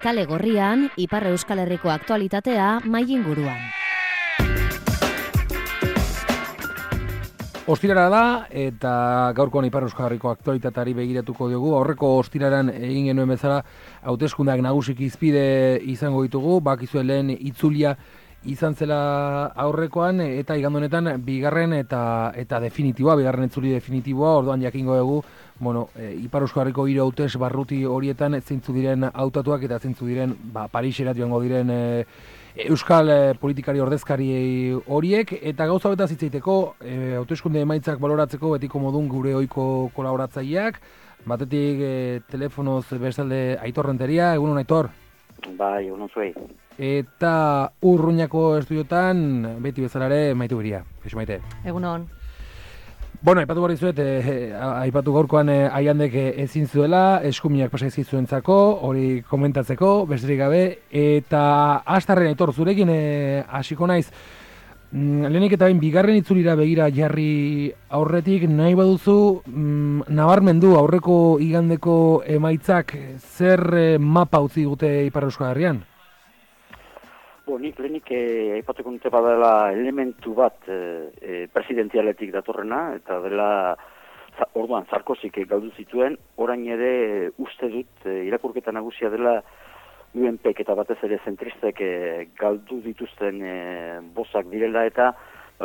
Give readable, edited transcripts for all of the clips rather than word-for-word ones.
Kale Gorrian, Ipar Euskal Herriko aktualitatea mailinguruan. Ostirara da, eta gaurkoan Ipar Euskal Herriko aktualitateari begiratuko dugu. Aurreko ostiraran egin genuen bezala, hauteskundeak nagusiki izpide izango ditugu, bakizue lehen itzulia izan zela aurrekoan, eta igande honetan bigarren eta definitiboa, bigarren itzuli definitiboa, orduan jakingo dugu, Ipar Euskal Herriko hiru hautes barruti horietan zeintzu diren hautatuak eta zeintzu diren Parisera joango diren euskal politikari ordezkari horiek, eta gauza betaz hitz egiteko hauteskunde emaitzak baloratzeko betiko modun gure ohiko kolaboratzaileak, batetik telefonoz bestalde Aitor Renteria. Egunon, Aitor? Bai, egunon zuei. Eta Urruñako estudiotan beti bezala ere Maite Ubiria. Kaixo, Maite. Egunon. Aipatu behar dizuet, aipatu gaurkoan Aiandek ezin zuela, eskuminak pasaizik zuentzako, hori komentatzeko, besterik gabe, eta astarren, Aitor, zurekin hasiko naiz, lehenik eta bigarren itzulira begira jarri aurretik, nahi baduzu, nabarmendu aurreko igandeko emaitzak zer mapa utzi dute Ipar Euskal Herrian? Nik lehenik aipatuko dute badela elementu bat presidentzialetik datorrena, eta dela orduan Sarkozik galdu zituen, orain ere uste dut irakurketa nagusia dela UNPek eta batez ere zentristek galdu dituzten bozak direla, eta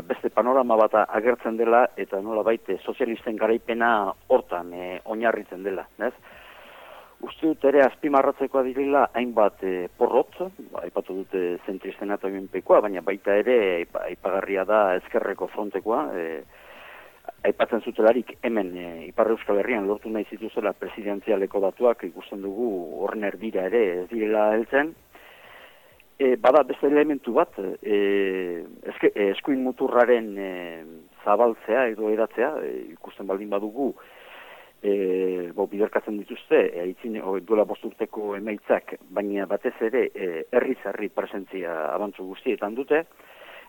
beste panorama bat agertzen dela, eta nolabait sozialisten garaipena hortan oinarritzen dela, ez? Uste dut ere azpimarratzekoa direla hainbat porrot, aipatu dute zentristena eta UNPkoa, baina baita ere aipagarria da ezkerreko frontekoa, aipatzen zutelarik hemen Ipar Euskal Herrian lortu nahi zituzela presidentzialeko datuak, ikusten dugu horren erdira ere ez direla heltzen. Bada beste elementu bat, eskuin muturraren zabaltzea edo edatzea, ikusten baldin badugu, biderkatzen dituzte, duela 5 urteko emaitzak, baina batez ere herriz-herri presentzia abantzu guztietan dute,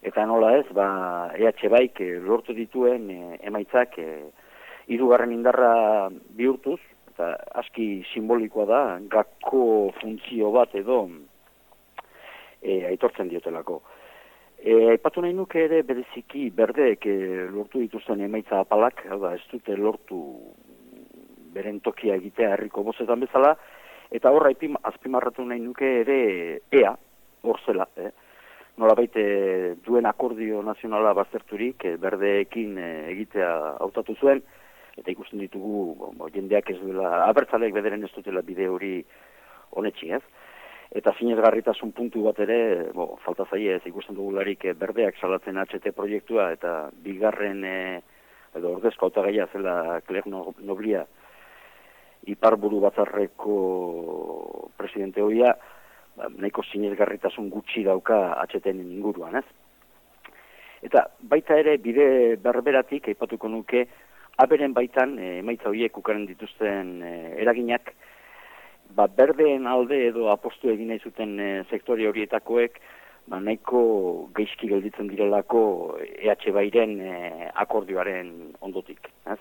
eta nola ez, EH Baik lortu dituen emaitzak hirugarren indarra bihurtuz, eta aski simbolikoa da, gako funtzio bat edo aitortzen diotelako. Aipatu nahi nuke ere bereziki berdeek lortu dituzten emaitza apalak, ez dute lortu beren tokia egitea herriko bozetan bezala, eta horra azpimarratu nahi nuke ere ea, hor zela, nolabait duen akordio nazionala bazterturik berdeekin egitea hautatu zuen, eta ikusten ditugu jendeak ez duela, abertzaleek bederen ez dutela bide hori honetxi, ez? Eta sinesgarritasun puntu bat ere, falta zaie ez ikusten dugularik berdeak salatzen HT proiektua, eta bigarren edo ordezko hautagaia zela Claire Noblia, Iparburu batzarreko presidente hoia, nahiko sinesgarritasun gutxi dauka HTen inguruan, ez? Eta baita ere bide berberatik aipatuko nuke aberen baitan emaitza horiek ukaren dituzten eraginak, berdeen alde edo apostu egin nahi zuten sektore horietakoek nahiko gaizki gelditzen direlako EH Bairen akordioaren ondotik, ez?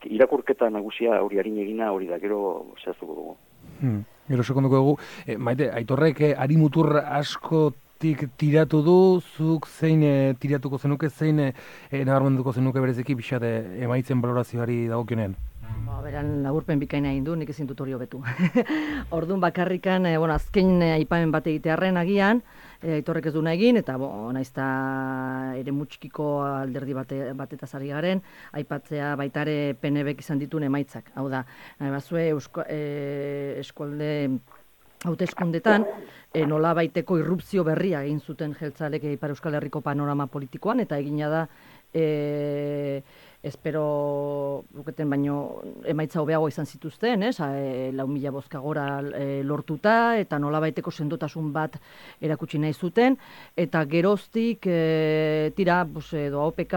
Irakurketa nagusia hori harin egina hori da, gero zehaztuko dugu. Gero sekunduko dugu. Maite, Aitorrek harimutur askotik tiratu du, zuk zein tiratuko zenuke, zein nabarmenduko zenuke bereziki pixate emaitzen balorazioari dagokionean? Beran laburpen bikaina egin du, nik ezin dut hori hobetu. Orduan bakarrikan, azken aipamen bat egitearren agian, Aitorrek ez duna egin, eta naizta ere mutxikiko alderdi batetaz ari garen, aipatzea baitare PNBek izan dituen emaitzak. Hau da, bazue eskualde hauteskundetan nola baiteko irrupzio berria egin zuten jeltzalek Ipar Euskal Herriko panorama politikoan, eta egina da espero luketen baino emaitza hobeago izan zituzten, 4.000 bozka gora lortuta, eta nolabaiteko sendotasun bat erakutsi nahi zuten, eta geroztik tira, edo AOPK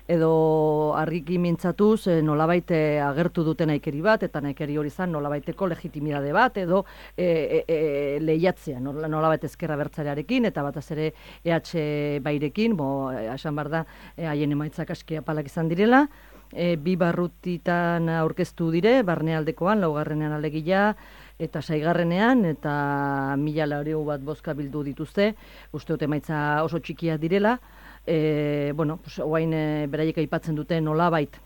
edo argiki mintzatuz nolabait agertu duten naikeri bat, eta naikeri hori zan nolabaiteko legitimidade bat, edo lehiatzea, nolabait ezkerra bertzarearekin, eta bataz ere EH Bairekin, esan behar da, haien emaitzak aski apalak izan direla, bi barrutitan aurkeztu dire, barnealdekoan, laugarrenean alegia, eta 6. eta 1.400 bat bozka bildu dituzte, uste dut emaitza oso txikiak direla, oain beraiek aipatzen dute nolabait,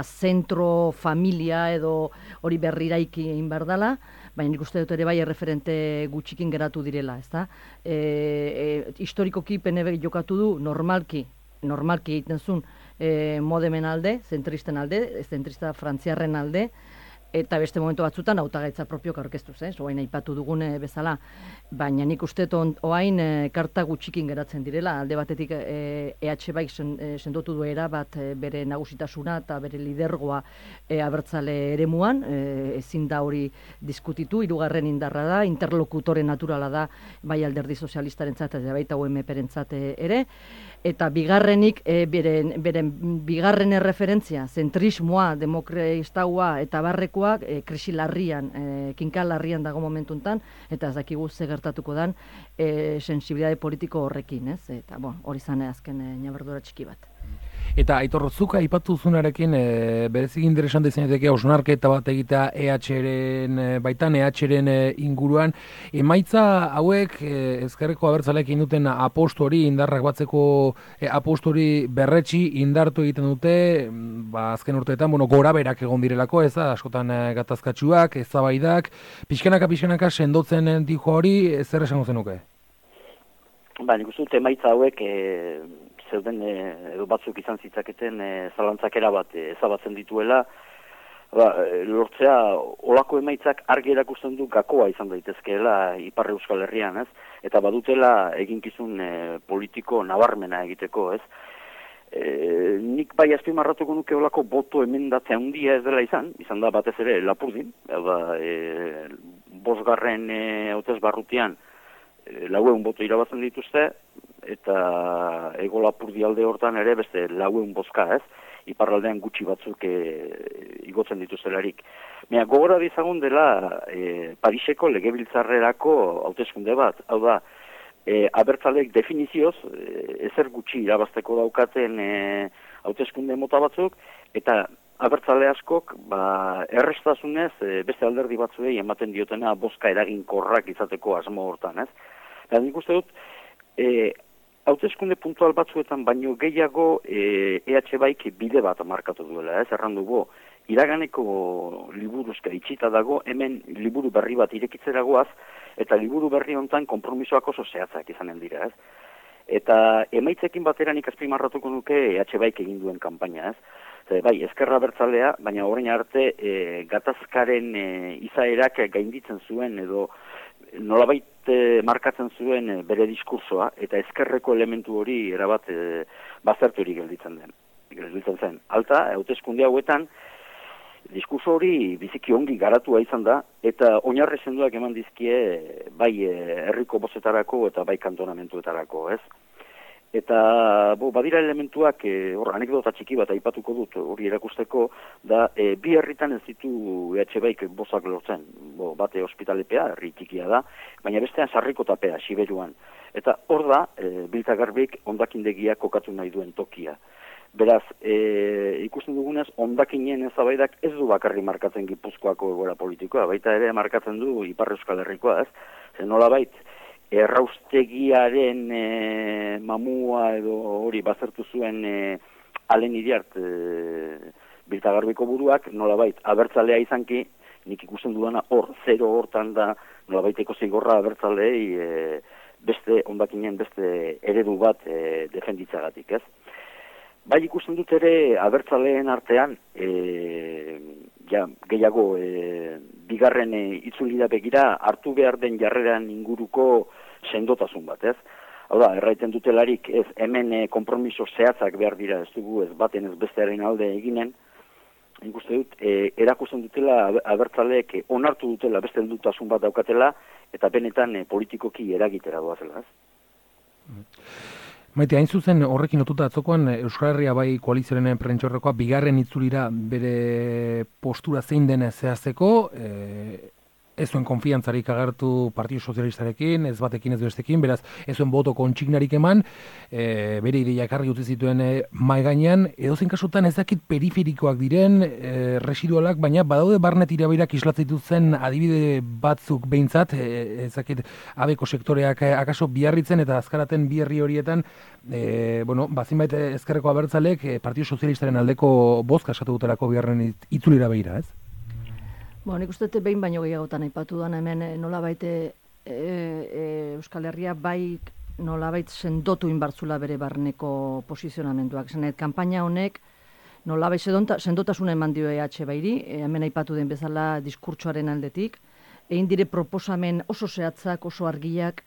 zentro, familia edo hori berriraiki egin behar dela, baina nik uste dut ere bai erreferente gutxikin geratu direla, ezta? Historikoki PNB jokatu du normalki egiten zuen modemen alde, zentrista frantziarren alde, eta beste momentu batzutan hautagaitza propiok aurkeztu zen, oain aipatu dugune bezala, baina nik uste oain karta gutxikin geratzen direla, alde batetik EH Baik sendotu duera bat bere nagusitasuna eta bere lidergoa abertzale eremuan, ezin da hori diskutitu, 2. indarra da, interlokutore naturala da, bai Alderdi Sozialistarentzat eta baita UMP-rentzat ere, eta bigarrenik, beren bigarren erreferentzia, zentrismoa, demokraistaua eta barrekoak krisi larrian, kinka larrian dago momentuntan, eta ez dakigu ze gertatuko dan sensibilitate politiko horrekin, ez? Eta, hori zane azken ñabardura txiki bat. Eta Aitor, zuk aipatu zunarekin berezik interesante izaneteke hausnarketa bat egitea EH-ren baitan, EH-ren inguruan. Emaitza hauek ezkerreko abertzaleekin duten apostori, indarrak batzeko apostori berretsi indartu egiten dute, azken urteetan, gora berak egon direlako, ez da, askotan gatazkatsuak, eztabaidak, pixkanaka sendotzen dijo hori, zer esango zenuke? Nik uste dut emaitza hauek zeuden edo batzuk izan zitzaketen zalantzakera bat ezabatzen dituela, lortzea olako emaitzak argi erakusten du gakoa izan daitezkeela Ipar Euskal Herrian, ez? Eta badutela eginkizun politiko nabarmena egiteko, ez? Nik bai azpimarratuko nuke olako boto emendatzea handia ez dela izan da batez ere Lapurdin, 5. hautesbarrutian 400 boto irabazten dituzte, eta Hego Lapurdi alde hortan ere beste 400 bozka, ez? Iparraldean gutxi batzuk igotzen dituztelarik. Gogora dizagun dela Pariseko legebiltzarrerako hauteskunde bat, hau da, abertzaleek definizioz ezer gutxi irabazteko daukaten hauteskunde mota batzuk, eta abertzale askok errestasunez beste alderdi batzuei ematen diotena bozka eraginkorrak izateko asmo hortan, ez? Nik uste dut, hauteskunde puntual batzuetan baino gehiago EH Baik bide bat markatu duela, ez? Erran dugu, iraganeko liburuzka itxita dago, hemen liburu berri bat irekitzeragoaz, eta liburu berri hontan konpromisoak oso zehatzak izanen dira, ez? Eta emaitzekin batera nik azpimarratuko nuke EH Baik egin duen kanpaina, ez? Bai, ezkerra bertzalea, baina orain arte gatazkaren izaerak gainditzen zuen edo nolabait markatzen zuen bere diskursoa, eta ezkerreko elementu hori erabat bazterturik gelditzen zen. Alta, hauteskunde hauetan, diskurso hori biziki ongi garatua izan da, eta oinarri sendoak eman dizkie bai herriko bozetarako eta bai kantonamentuetarako, ez? Eta badira elementuak, anekdota txiki bat aipatuko dut hori erakusteko, da bi herritan ez ditu EH Baik bozak lortzen. Bate ospitalepea, herri txikia da, baina bestean Sarrikotapea, Siberuan. Eta hor da, Biltzagarbik hondakindegia kokatu nahi duen tokia. Beraz, ikusten dugunez, hondakinen eztabaidak ez du bakarri markatzen Gipuzkoako egoera politikoa, baita ere markatzen du Ipar Euskal Herrikoa, ez? Zer nolabait, erraustegiaren mamua edo hori bazertu zuen Alen Iriart Biltzagarbiko buruak, nolabait abertzalea izanki, nik ikusten dudana zero hortan da nolabaiteko zigorra abertzalei beste hondakinen beste eredu bat defenditzagatik, ez? Bai ikusten dut ere abertzaleen artean gehiago bigarren itzulida begira hartu behar den jarreran inguruko sendotasun bat, ez? Hau da, erraiten dutelarik ez hemen konpromiso zehatzak behar dira, ez dugu ez baten ez bestearen alde eginen, ikuste dut, erakusten dutela abertzaleek onartu dutela beste heldutasun bat daukatela, eta benetan politikoki eragitera doazela, ez? Maite, hain zuzen horrekin lotuta atzokoan Euskal Herria bai koalizioaren prentxorrekoa bigarren itzulira bere postura zein den zehazteko, ez zuen konfiantzarik agertu Partidu Sozialistarekin, ez batekin ez bestekin, beraz ez zuen boto kontsignarik eman, bere ideia ekarri utzi zituen mahai gainean, edozein kasutan ez dakit periferikoak diren, residualak, baina badaude barne tirabirak islatzen dituzten adibide batzuk behintzat, ez dakit abeko sektoreak akaso biarritzen eta azkaraten bi herri horietan, bazinbait ezkerreko abertzalek Partidu Sozialistaren aldeko bozka eskatu dutelako biharren itzulira begira, ez? Nik uste behin baino gehiagotan aipatu da hemen nolabait Euskal Herria bai nolabait sendotu inbartzula bere barneko posizionamenduak. Zenet, kanpaina honek nolabait sendotasuna eman dio EH bairi, hemen aipatu den bezala diskurtsoaren aldetik, egin dire proposamen oso zehatzak, oso argiak,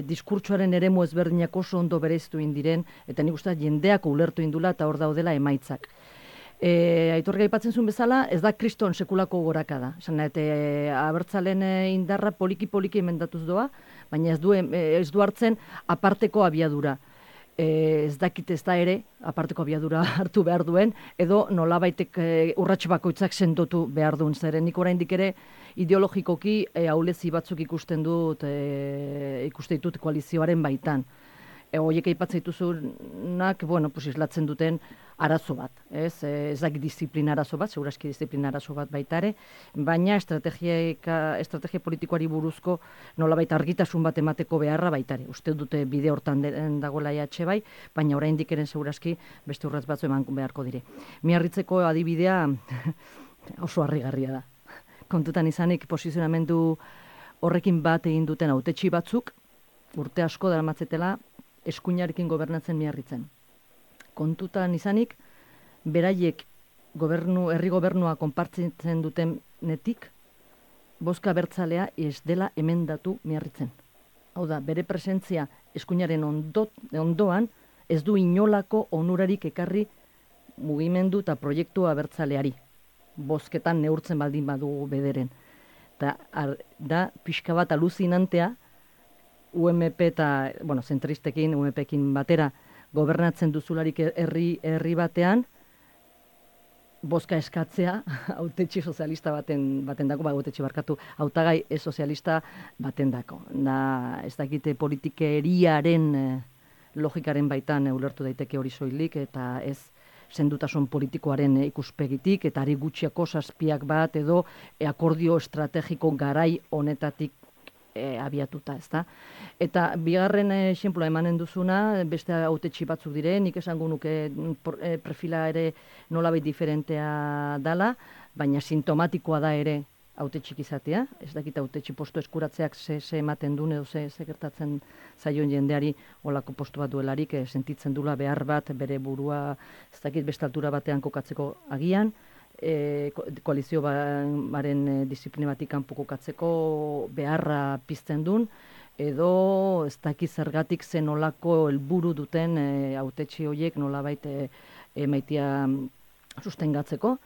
diskurtsoaren eremu ezberdinak oso ondo bereiztu indiren, eta nik uste jendeak ulertu indula eta hor daudela emaitzak. Aitorga aipatzen zuen bezala, ez da kriston sekulako gorakada. Abertzalen indarra poliki-poliki emendatuz doa, baina ez du hartzen aparteko abiadura. Ez dakit ez da ere, aparteko abiadura hartu behar duen, edo nolabaitek urrats bakoitzak sendotu behar duen. Zeren nik oraindik ere ideologikoki ahulezi batzuk ikusten ditut koalizioaren baitan. Horiek aipatzen dituzunak, islatzen duten arazo bat, ez dakit disiplina arazo bat, seguraski disiplina arazo bat baita ere, baina estrategia politikoari buruzko nolabait argitasun bat emateko beharra baita ere. Uste dute bide hortan dagoela EH bai, baina oraindik ere seguraski beste urrats batzu eman beharko dire. Miarritzeko adibidea oso harrigarria da. Kontutan izanik posizionamendu horrekin bat egin duten hautetsi batzuk, urte asko daramatzetela eskuinarekin gobernatzen Miarritzen. Kontutan izanik, beraiek herri gobernua konpartitzen duten netik, bozka abertzalea ez dela emendatu Miarritzen. Hau da, bere presentzia eskuinaren ondoan ez du inolako onurarik ekarri mugimendu eta proiektu abertzaleari. Bozketan neurtzen baldin badugu bederen. Da pixka bat aluzinantea, UMP eta, zentristekin, UMPekin batera, gobernatzen duzularik herri batean, bozka eskatzea, hautetxi sozialista baten dako, hautetxi barkatu, hautagai sozialista baten dako. Ez dakite politikeriaren logikaren baitan ulertu daiteke hori soilik, eta ez sendutasun politikoaren ikuspegitik, eta ari gutxiako zazpiak bat, edo akordio estrategiko garai honetatik abiatuta, ezta? Eta bigarren esenploa emanen duzuna, beste hautetxi batzuk dire, nik esango nuke perfila ere nolabait diferentea dala, baina sintomatikoa da ere hautetxik izatea, ez dakit hautetxi postu eskuratzeak ze ematen duen edo ze gertatzen zaion jendeari olako postu bat duelarik, sentitzen dula behar bat bere burua, ez dakit beste altura batean kokatzeko agian, koalizio baren disiplina batik kanpo kokatzeko beharra pizten duen, edo ez dakit zergatik zen olako helburu duten hautetxi horiek nolabait emaitia sustengatzeko.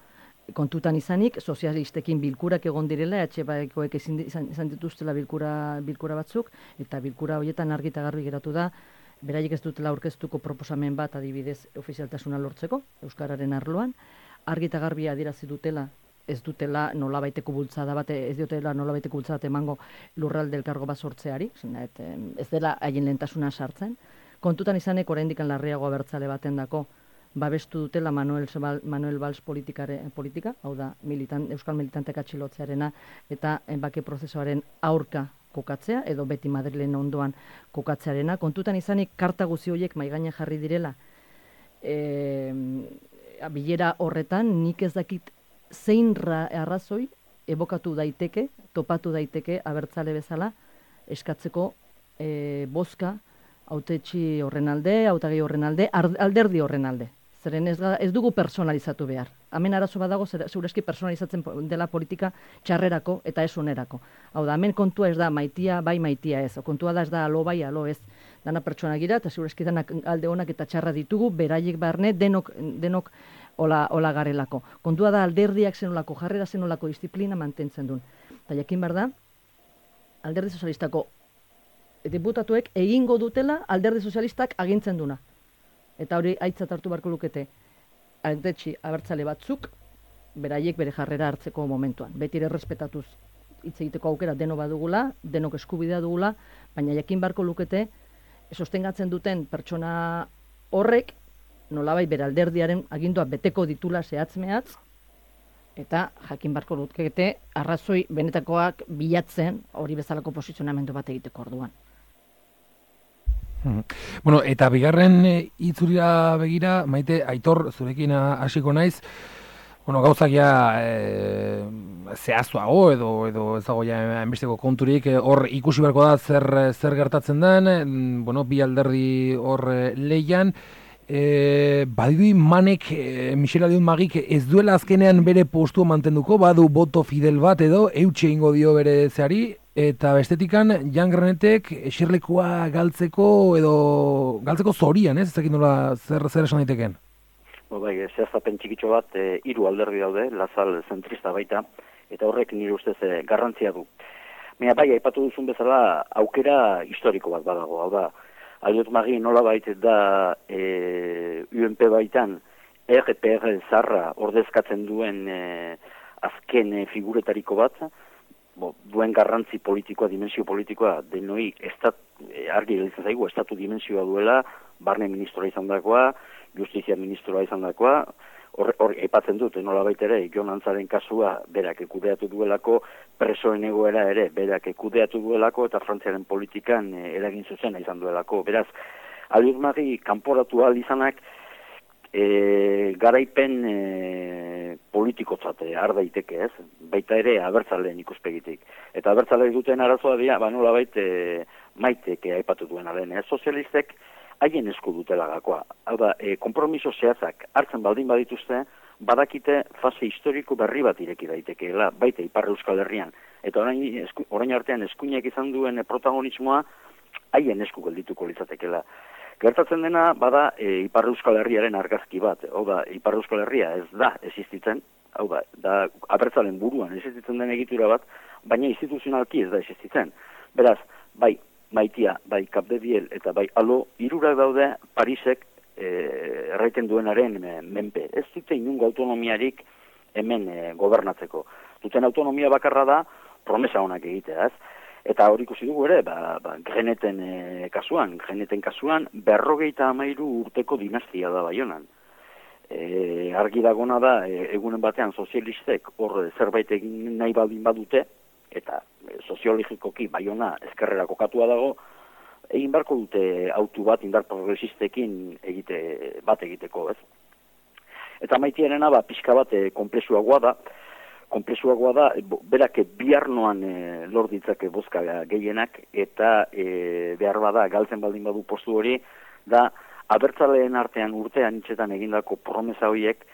Kontutan izanik, sozialistekin bilkurak egon direla, EH-baikoek izan dituztela bilkura batzuk, eta bilkura horietan argi eta garbi geratu da, beraiek ez dutela aurkeztuko proposamen bat adibidez ofizialtasuna lortzeko, euskararen arloan, argi eta garbi adierazi dutela, ez dutela nolabaiteko bultzada bat, ez dutela nolabaiteko bultzada bat emango lurralde elkargo bat sortzeari, ez dela haien lehentasuna sartzen. Kontutan izanek oraindik larriago abertzale baten dako, babestu dutela Manuel Valls politika, hau da, euskal militanteak atxilotzearena eta bake prozesuaren aurka kokatzea, edo beti Madrilen ondoan kokatzearena. Kontutan izanik karta guzi horiek maigainan jarri direla, bilera horretan nik ez dakit zein arrazoi ebokatu daiteke, topatu daiteke abertzale bezala eskatzeko bozka hautetxi horren alde, hautagai horren alde, alderdi horren alde. Zeren ez dugu personalizatu behar. Hemen arazo badago, segurazki personalizatzen dela politika txarrerako eta ez onerako. Hau da, hemen kontua ez da maitia, bai maitia ez. Kontua da ez da alo bai, alo ez. Dana pertsona gira, eta segurazki danak alde onak eta txarra ditugu, beraiek barne, denok hola garelako. Kontua da alderdiak zenolako, jarrera zenolako disiplina mantentzen duen. Eta jakin behar da, alderdi sozialistako diputatuek egingo dutela alderdi sozialistak agintzen duna. Eta hori aitzat hartu beharko lukete hautetxi abertzale batzuk beraiek bere jarrera hartzeko momentuan. Beti ere errespetatuz hitz egiteko aukera denok badugula, denok eskubidea dugula, baina jakin beharko lukete sostengatzen duten pertsona horrek nolabait bere alderdiaren agindua beteko ditula zehatz-mehatz, eta jakin beharko lukete arrazoi benetakoak bilatzen hori bezalako posizionamendu bat egiteko orduan. Bueno, eta bigarren itzulira begira, Maite, Aitor, zurekin hasiko naiz, bueno, gauzak ja zehaztuago edo ez dago ja enbesteko konturik, hor ikusi beharko da zer gertatzen den, bueno, bi alderdi hor leian, badidu Manek, Michel Aldiun Magik ez duela azkenean bere postua mantenduko, badu boto fidel bat edo, eutxe ingo dio bere zeari, eta bestetikan Jan Granetek eserlekua galtzeko zorian, ez dakit nola zer esan daiteken? Bai, zehaztapen txikitxo bat, 3 alderdi daude, Lazal zentrista baita, eta horrek nire ustez garrantzia du. Baina bai, aipatu duzun bezala aukera historiko bat badago, hau da, Aldiot Magi nola baita da UNP baitan RPR zarra ordezkatzen duen azken figuretariko bat, duen garrantzi politikoa, dimensio politikoa, denoi argi gelitzen zaigu, estatu dimensioa duela, barne ministroa izan dakoa, justizia ministroa izan dakoa, hor aipatzen dut, nola baita ere, Jon Antzaren kasua berak ekudeatu duelako, presoen egoera ere berak ekudeatu duelako, eta Frantziaren politikan eragin zuzena izan duelako. Beraz, Aldiot Magi kanporatu ahal izanak, garaipen politikotzate har daiteke, ez? Baita ere abertzaleen ikuspegitik. Eta abertzaleek duten arazoa dira, nola Maitek aipatu duen alen, sozialistek haien esku dutela gakoa. Hau da, konpromiso zehatzak hartzen baldin badituzte, badakite fase historiko berri bat ireki daitekeela, baita Ipar Euskal Herrian. Eta orain artean eskuinak izan duen protagonismoa haien esku geldituko litzatekeela. Gertatzen dena, bada, Ipar Euskal Herriaren argazki bat. Hau da, Ipar Euskal Herria ez da existitzen, hau da abertzalen buruan existitzen den egitura bat, baina instituzionalki ez da existitzen. Beraz, bai Maitia, bai Capdeviel eta bai Alo, 3 daude Parisek erraiten duenaren menpe. Ez dute inungo autonomiarik hemen gobernatzeko. Duten autonomia bakarra da promesa honak egitea, ez? Eta hori ikusi dugu ere, Greneten kasuan 53 urteko dinastia da Baionan. Argi dagona da, egunen batean sozialistek hor zerbait egin nahi baldin badute, eta soziologikoki Baiona ezkerrera kokatua dago, egin beharko dute autu bat indar progresistekin egiteko, ez? Eta Maitiarena pixka bat konplexuagoa da, berak biharnoan lor ditzake bozka gehienak, eta behar bada galtzen baldin badu postu hori, da abertzaleen artean urtean hitzetan egindako promesa horiek,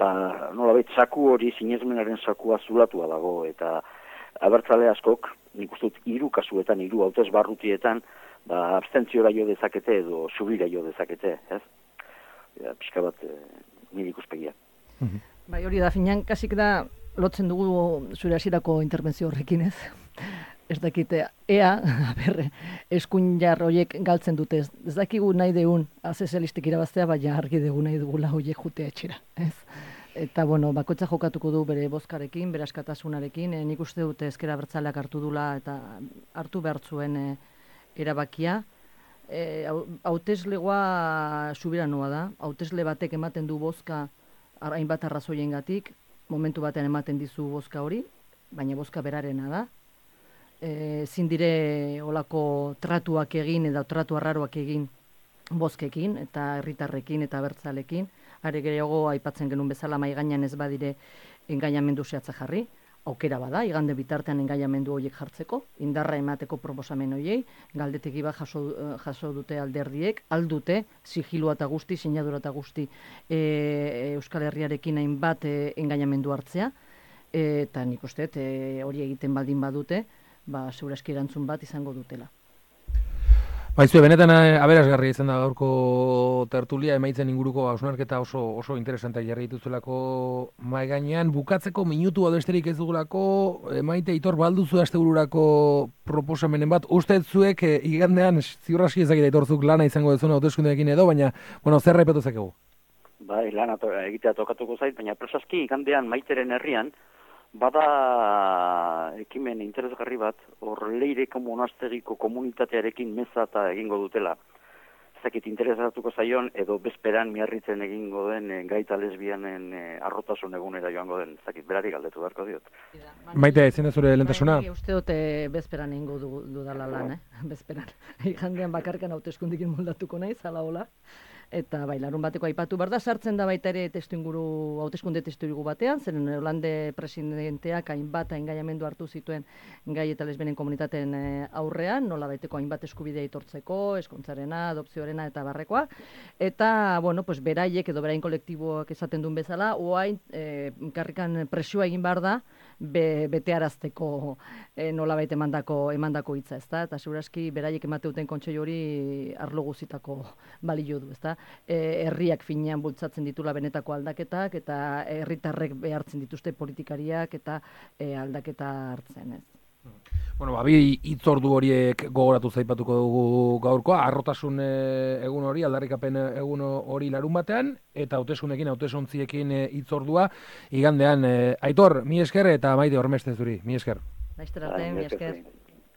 nolabait saku hori, sinesmenaren sakua zulatua dago, eta abertzale askok, nik uste dut 3 kasuetan, 3 hautez barrutietan, abstentziora jo dezakete edo subira jo dezakete, ez? Pixka bat nire ikuspegia. Bai, hori da, finan, kasik da, lotzen dugu zure hasierako interbentzio horrekin, ez? Ez dakite, eskuin jar horiek galtzen dute, ez dakigu nahi deun, sozialistek irabaztea, baina argi dugu nahi dugula horiek jutea etxera, ez? Eta, bueno, bakoitza jokatuko du bere bozkarekin, bere askatasunarekin, nik uste dute ezker abertzaleak hartu dula eta hartu behar zuen erabakia. Hauteslegoa subiranoa da, hautesle batek ematen du bozka hainbat arrazoiengatik, momentu batean ematen dizu bozka hori, baina bozka berarena da. Ezin dire olako tratuak egin edo tratu arraroak egin bozkekin eta herritarrekin eta abertzalekin. Are gehiago aipatzen genuen bezala mahai gainean ez badire engainamendu zehatza jarri, aukera bada, igande bitartean engainamendu horiek jartzeko, indarra emateko proposamen horiei, galdetegi bat jaso dute alderdiek, aldute, sigilua eta guzti, sinadura eta guzti Euskal Herriarekin hainbat engainamendu hartzea, eta nik uste hori egiten baldin badute, segurazki erantzun bat izango dutela. Baizue, benetan aberasgarria izan da gaurko tertulia, emaitzen inguruko hausnarketa oso interesantea jarri dituzuelako mahai gainean. Bukatzeko minutu besterik ez dugulako, Maite, Aitor, balduzu astebururako proposamenen bat. Uste zuek igandean, ziur aski ezakit Aitorzuk lana izango dezuna hauteskundeekin edo, baina, zer aipatu zakegu? Bai, lana egitea tokatuko zait, baina presaski igandean Maiteren herrian, bada ekimen interesgarri bat, hor Leireko monastegiko komunitatearekin meza eta egingo dutela. Zakit interesatuko zaion, edo bezperan miarritzen egingo den gaita lesbianen arrotasun egunera joango den. Zakit, berari galdetu beharko diot. Maite, zein da zure lehentasuna? Uste dut bezperan egingo dudala lan, bezperan. Igandean bakarkan hauteskundekin moldatuko naiz, hala hola. Eta bai, larun bateko aipatu behar da, sartzen da baita ere hauteskunde testuinguru batean, zeren Holande presidenteak hainbat engaiamendu hartu zituen gai eta lesbenen komunitateen aurrean, nola baiteko hainbat eskubidea aitortzeko, eskontzarena, adopzioarena eta barrekoa. Eta, bueno, pues beraiek edo berain kolektiboak esaten duen bezala, oain karrikan presioa egin behar da, betearazteko nola baita emandako hitza, ezta? Eta seguraski beraiek emateuten kontseilu hori arlo guzitako balio du, ezta? Herriak finean bultzatzen ditula benetako aldaketak eta herritarrek behartzen dituzte politikariak eta aldaketa hartzen, ez. Bueno, bi hitzordu horiek gogoratu zaipatuko dugu gaurkoa, arrotasun egun hori, aldarrikapen egun hori larun batean, eta hauteskundekin, hautesontziekin hitzordua igandean. Aitor, mi esker eta Maite Hormeste zuri, mi esker. Laizter arte, mi esker.